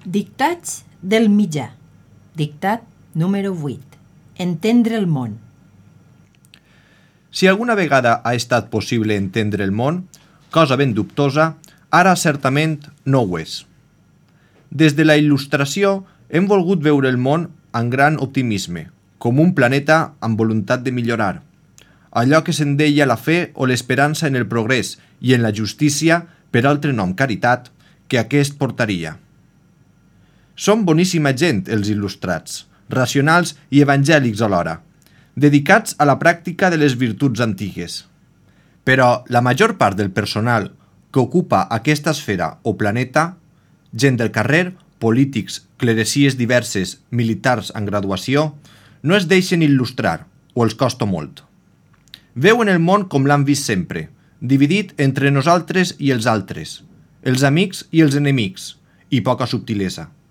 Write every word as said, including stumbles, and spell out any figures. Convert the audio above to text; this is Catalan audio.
Dictats del mitjà. Dictat número vuit. Entendre el món. Si alguna vegada ha estat possible entendre el món, cosa ben dubtosa, ara certament no ho és. Des de la il·lustració hem volgut veure el món amb gran optimisme, com un planeta amb voluntat de millorar. Allò que se'n deia la fe o l'esperança en el progrés i en la justícia, per altre nom caritat, que aquest portaria. Són boníssima gent els il·lustrats, racionals i evangèlics alhora, dedicats a la pràctica de les virtuts antigues. Però la major part del personal que ocupa aquesta esfera o planeta, gent del carrer, polítics, cleresies diverses, militars en graduació, no es deixen il·lustrar, o els costa molt. Veuen el món com l'han vist sempre, dividit entre nosaltres i els altres, els amics i els enemics, i poca subtilesa.